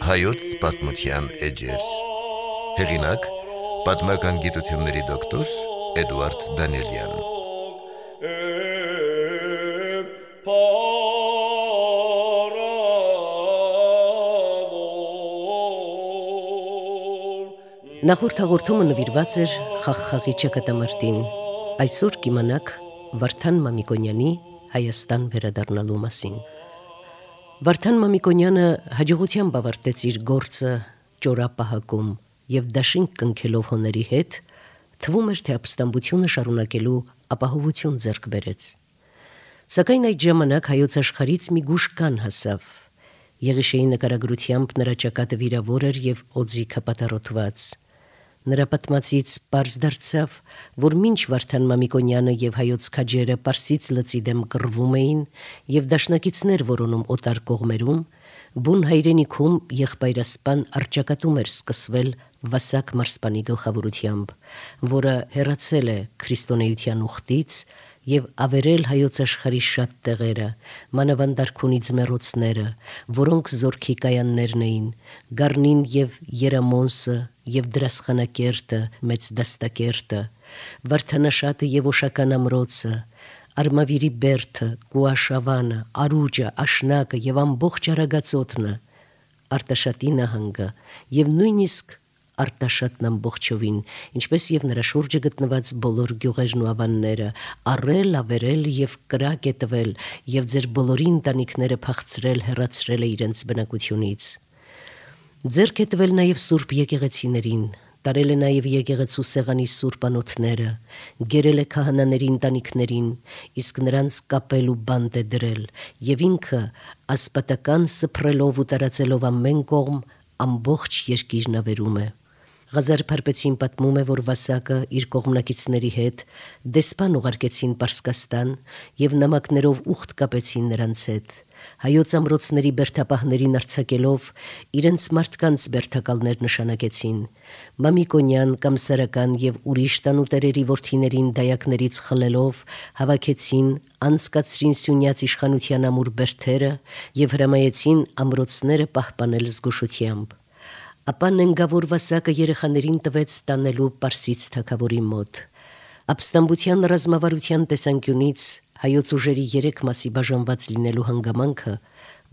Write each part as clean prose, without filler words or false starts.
Հայոց պատմության էջեր։ Հեղինակ՝ պատմական գիտությունների դոկտոր Էդուարդ Դանիելյան։ Նախորդ հաղորդումը նվիրված էր Խաղխաղի ճակատամարտին։ Այսօր կիմանաք Վարդան Մամիկոնյանի Հայաստան վերադառնալու մասին։ Վարդան Մամիկոնյանը հաջողությամբ ավարտեց իր գործը ճորապահակում եւ դաշինք կնքելով հոների հետ, թվում էր, թե ապստամբությունը շարունակելու ապահովություն ձեռք բերեց։ Սակայն այդ ժամանակ հայոց աշխարհից մի գուշկան հասավ։ Եղիշեի նկարագրությամբ նրա ճակատը վիրավոր էր եւ օձիքը պատառոտված։ Նրա պատմածից պարզ դարձավ, որ մինչ Վարդան Մամիկոնյանը եւ հայոց քաջերը Պարսից լծի դեմ կռվում էին եւ դաշնակիցներ որոնում օտար կողմերում, բուն հայրենիքում եղբայրասպան առճակատում էր սկսվել Վասակ մարսպանի գլխավորությամբ, որը հեռացել է քրիստոնեության ուխտից եւ ավերել հայոց աշխարհի շատ տեղերը, մանավանդարքունի ձմեռոցները, որոնք զորքի կայաններն էին, Գառնին եւ Երամոնսը եւ Դրասխանակերտը, Մեծ Դաստակերտը, Վարդանաշատը եւ Օշական ամրոցը, Արմավիրի Բերդը, Կուաշավանը, Արուջը, Աշնակը եւ ամբողջ Արագածոտնը, Արտաշատի նահանգը եւ նույնիսկ Արտաշատն ամբողջովին, ինչպես եւ նրա շուրջը գտնված բոլոր գյուղերն ու ավանները, առել, ավերել եւ կրակ է տվել եւ ձեր բոլորի ընտանիքները փախցրել, հեռացրել է իրենց բնակությունից։ Ձեռք է տվել նաեւ սուրբ եկեղեցիներին, տարել է նաեւ եկեղեցու սեղանի սուրբ անոթները, գերել է քահանաների ընտանիքներին, իսկ նրանց կապել ու բանտ է դրել, եւ ինքը ասպատական սփռելով ու տարածելով ամեն կողմ ամբողջ երկիրն ավերում է։ Ղազար Փարպեցին պատմում է, որ Վասակը իր կողմնակիցների հետ դեսպան ուղարկեցին Պարսկաստան եւ նամակներով ուխտ կապեցին նրանց հետ։ Հայոց ամրոցների բերդապահներին արձակելով իրենց մարդկանց բերդակալներ նշանակեցին։ Մամիկոնյան, Կամսարական եւ ուրիշ տանուտերերի որդիներին դայակներից խլելով հավաքեցին, անցկացրին Սյունյաց իշխանության ամուր բերդերը եւ հրամայեցին ամրոցները պահպանել զգուշությամբ։ Ապա նենգավոր Վասակը երեխաներին տվեց տանելու Պարսից թագավորի մոտ։ Ապստամբության ռազմավարության տեսանկյունից հայոց ուժերի 3 մասի բաժանված լինելու հանգամանքը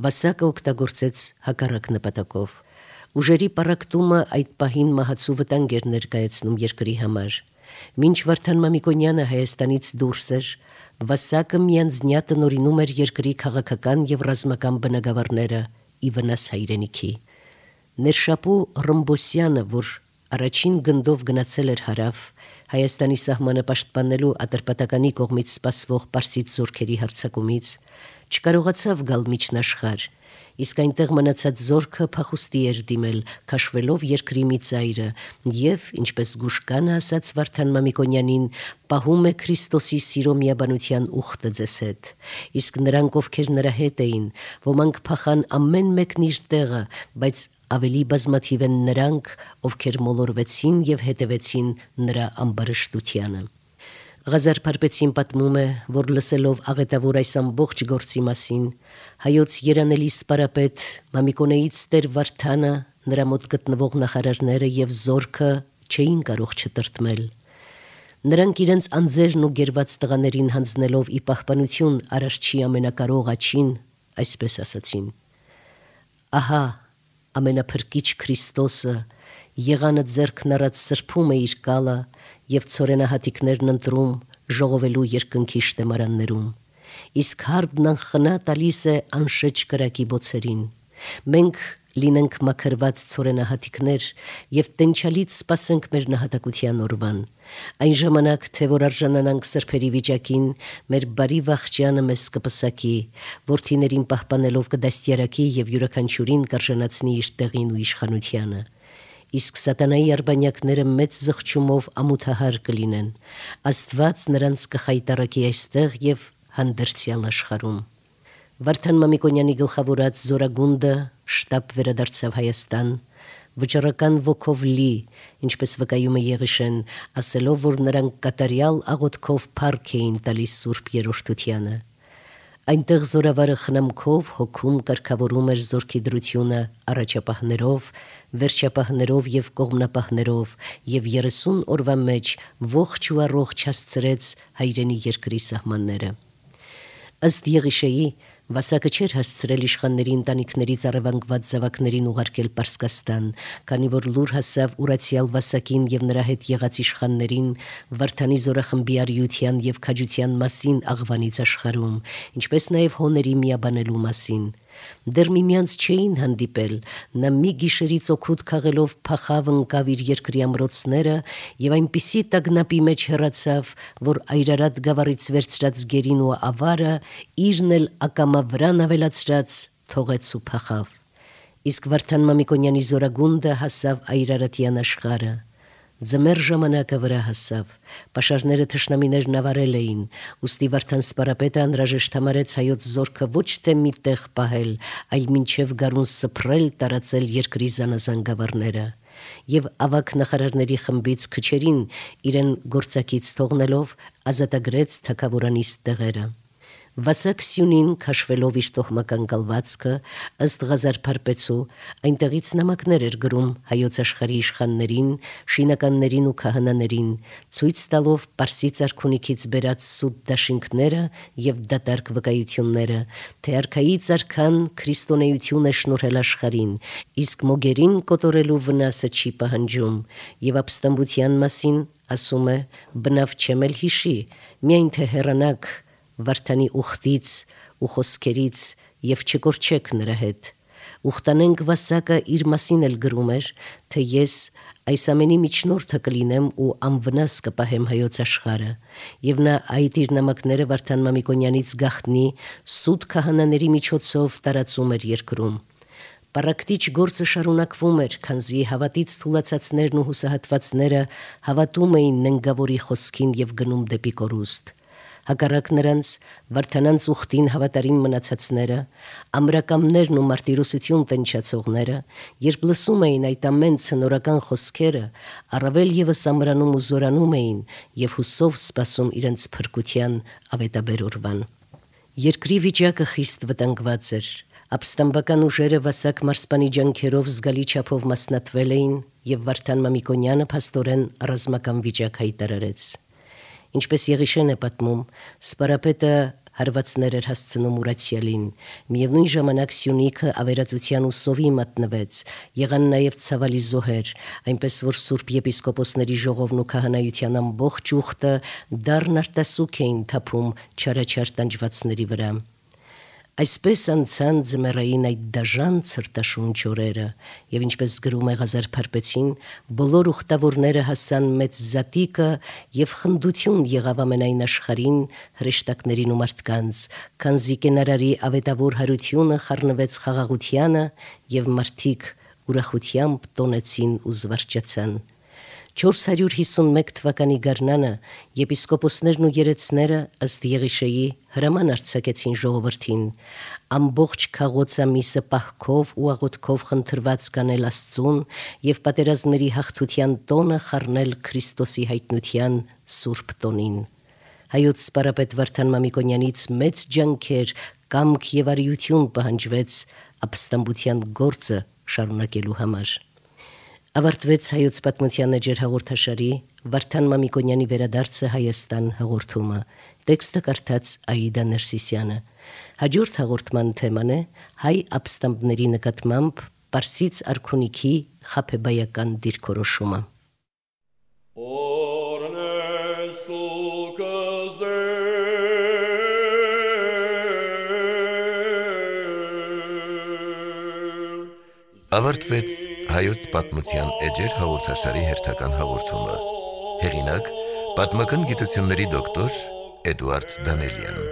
Վասակը օգտագործեց հակառակ նպատակով։ Ուժերի պառակտումը այդ պահին մահացու վտանգ էր ներկայացնում երկրի համար։ Մինչ Վարդան Մամիկոնյանը Հայաստանից դուրս էր, Վասակը միանձնյա տնօրինում էր երկրի քաղաքական եւ ռազմական բնագավառները ի վնաս հայրենիքի։ Ներշապու Ռմբոսյանը, որ առաջին գնդով գնացել էր հարավ, Հայաստանի սահմանը պաշտպանելու Ատրպատականի կողմից սպասվող Պարսից զորքերի հարձակումից, չկարողացավ գալ միջնաշխարհ, իսկ այնտեղ մնացած զորքը փախուստի էր դիմել, քաշվելով երկրի մի ծայրը, եւ, ինչպես Գուշկանը ասաց Վարդան Մամիկոնյանին, պահում է Քրիստոսի սիրո միաբանության ուխտը ձեզ հետ, իսկ նրանք, ովքեր նրա հետ էին, ոմանք փախան ամեն մեկն իր տեղը, բայց ավելի բազմաթիվ են նրանք, ովքեր մոլորվեցին եւ հետևեցին նրա ամբարշտությանը։ Ղազար Փարպեցին պատմում է, որ լսելով աղետավոր այս ամբողջ գործի մասին, հայոց երանելի սպարապետ Մամիկոնեից Տեր Վարդանը, նրա մոտ գտնվող նախարարները եւ զորքը չէին կարող չտրտմել։ Նրանք իրենց անձերն ու գերված տղաներին հանձնելով ի պահպանություն Արարչի ամենակարող աջին, այսպես ասացին. «Ահա ամենափրկիչ Քրիստոսը եղանը ձեռքն առած սրբում է իր կալը եւ ցորենահատիկներն ընտրում ժողովելու երկնքի շտեմարաններում, իսկ հարդն անխնա տալիս է անշեջ կրակի բոցերին։ Մենք լինենք մաքրված ցորենահատիկներ եւ տենչալից սպասենք մեր նահատակության օրվան։ Այն ժամանակ, թե որ արժանանանք սրբերի վիճակին, մեր բարի վախճանը մեզ կպսակի, որդիներին պահպանելով կդաստիարակի եւ յուրաքանչյուրին կարժանացնի իր տեղին ու իշխանությանը։ Իսկ սատանայի արբանյակները մեծ զղջումով ամութահար կլինեն։ Աստված նրանց կխայտարակի այստեղ եւ հանդերձյալ աշխարհում»։ Վարդան Մամիկոնյանի գլխավորած զորագունդը շտապ վերադարձավ Հայաստան, վճռական ոգով լի, ինչպես վկայում է Եղիշեն, ասելով, որ նրանք կատարյալ աղոթքով փառք էին տալիս Սուրբ Երրորդությանը։ Այնտեղ զորավարը խնամքով հոգում կարգավորում էր զորքի դրությունը առաջապահներով, վերջապահներով եւ կողմնապահներով եւ 30 օրվա մեջ ողջ ու առողջ հասցրեց հայրենի երկրի սահմանները։ Ըստ Եղիշեի, Վասակը չէր հասցրել իշխանների ընտանիքներից առևանգված զավակներին ուղարկել Պարսկաստան, քանի որ լուր հասավ Ուրացիալ Վասակին եւ նրա հետ եղած իշխաններին Վարդանի զորախմբի արիության եւ քաջության մասին աղվանից աշխարհում, ինչպես նաեւ հոների միաբանելու մասին։ Դեռ միմյանց չէին հանդիպել, նա մի գիշերից օգուտ քաղելով փախավ ընկավ իր երկրի ամրոցները եւ այնպիսի տագնապի մեջ հեռացավ, որ Այրարատ գավառից վերցրած գերին ու ավարը իրն էլ ակամա վրան ավելացրած թողեց ու փախավ։ Իսկ Վարդան Մամիկոնյանի զորագունդը հասավ Այրարատյան աշխարհը։ Ձմեռ ժամանակը վրա հասավ, պաշարները թշնամիներն ավարել էին, ուստի Վարդան սպարապետը անհրաժեշտ համարեց հայոց զորքը ոչ թե մի տեղ պահել, այլ մինչև գարուն սփռել տարածել երկրի զանազան գավառները, եւ ավագ նախարարների խմբից քչերին իրեն գործակից թողնելով ազատագրեց թագավորանիստ տեղերը։ Վասակ Սյունին քաշվելով իր տոհմական կալվածքը ըստ Ղազար Փարպեցու այնտեղից նամակներ էր գրում հայոց աշխարհի իշխաններին, շինականներին ու քահանաներին, ցույց տալով Պարսից արքունիքից բերած սուտ դաշինքները եւ դատարկ վկայությունները, թե արքայից արքան քրիստոնեություն է շնորհել աշխարհին, իսկ մոգերին կոտորելու վնասը չի պահանջում, եւ ապստամբության մասին ասում է. բնավ չեմ էլ հիշի, միայն թե հեռանաք Վարդանի ուխտից ու խոսքերից եւ չկորչեք նրա հետ։ Ուխտանենք Վասակը իր մասին էլ գրում էր, թե ես այս ամենի միջնորդը կլինեմ ու անվնաս կպահեմ հայոց աշխարհը, եւ նա այդ իր նամակները Վարդան Մամիկոնյանից գախտնի սուտ քահանաների միջոցով տարածում էր երկրում։ Պարակտիչ գործը շարունակվում էր, քանզի հավատից թուլացածներն ու հուսահատվածները հավատում էին ննգավորի խոսքին եւ գնում դեպի կորուստ։ Հակառակ նրանց Վարդանանց ուխտին հավատարիմ մնացածները, ամրակամներն ու մարտիրոսություն տնչացողները, երբ լսում էին այդ ամեն ցնորական խոսքերը, առավել եւս ամրանում ու զորանում էին եւ հուսով սպասում իրենց փրկության ավետաբեր օրվան։ Երկրի վիճակը խիստ վտանգված էր։ Ապստամբական ուժերը Վասակ մարսպանի ջանքերով զգալի չափով մասնատվել էին եւ Վարդան Մամիկոնյանը փաստորեն ռազմական վիճակ հայտարարեց։ Ինչպես Եղիշեն է պատմում, սպարապետը հարվածներ էր հասցնում Ուրացիալին, միևնույն ժամանակ Սյունիքը ավերածության ու սովի մատնվեց, եղան նաև ցավալի զոհեր, այնպես որ Սուրբ եպիսկոպոսների ժողովն ու քահանայության ամբողջ ուխտը դառն արտասուք էին թափում չարաչար տանջվածների վրա։ Այսպես անցան ձմեռային այդ դաժան ցրտաշունչ օրերը, եւ ինչպես գրում է Ղազար Փարպեցին, բոլոր ուխտավորները հասան մեծ զատիկը եւ խնդություն եղավ ամենայն աշխարհին, հրեշտակներին ու մարդկանց, քանզի կենարարի ավետավոր հարությունը խառնվեց խաղաղությանը եւ մարդիկ ուրախությամբ տոնեցին ու զվարճացան։ 451 թվականի գարնանը եպիսկոպոսներն ու երեցները ըստ Եղիշեի հրաման արձակեցին ժողովրդին ամբողջ քաղոց ամիսը պահքով ու աղոթքով խնդրված կանել Աստծուն եւ պատերազմների հաղթության տոնը խառնել Քրիստոսի հայտնության սուրբ տոնին։ Հայոց սպարապետ Վարդան Մամիկոնյանից մեծ ջանքեր, կամք եւ արիություն պահանջվեց ապստամբության գործը շարունակելու համար։ Ավարտվեց հայոց պատմության էջեր հաղորդաշարի Վարդան Մամիկոնյանի վերադարձը Հայաստան հաղորդումը։ Տեքստը կարդաց Աիդա Ներսիսյանը։ Հաջորդ հաղորդման թեման է հայ ապստամբների նկատմամբ Պարսից արքունիքի խաբեբայական դիրքորոշումը։ Ավարտվեց հայոց պատմության էջեր հաղորդաշարի հերթական հաղորդումը։ Հեղինակ՝ պատմական գիտությունների դոկտոր Էդուարդ Դանելյան։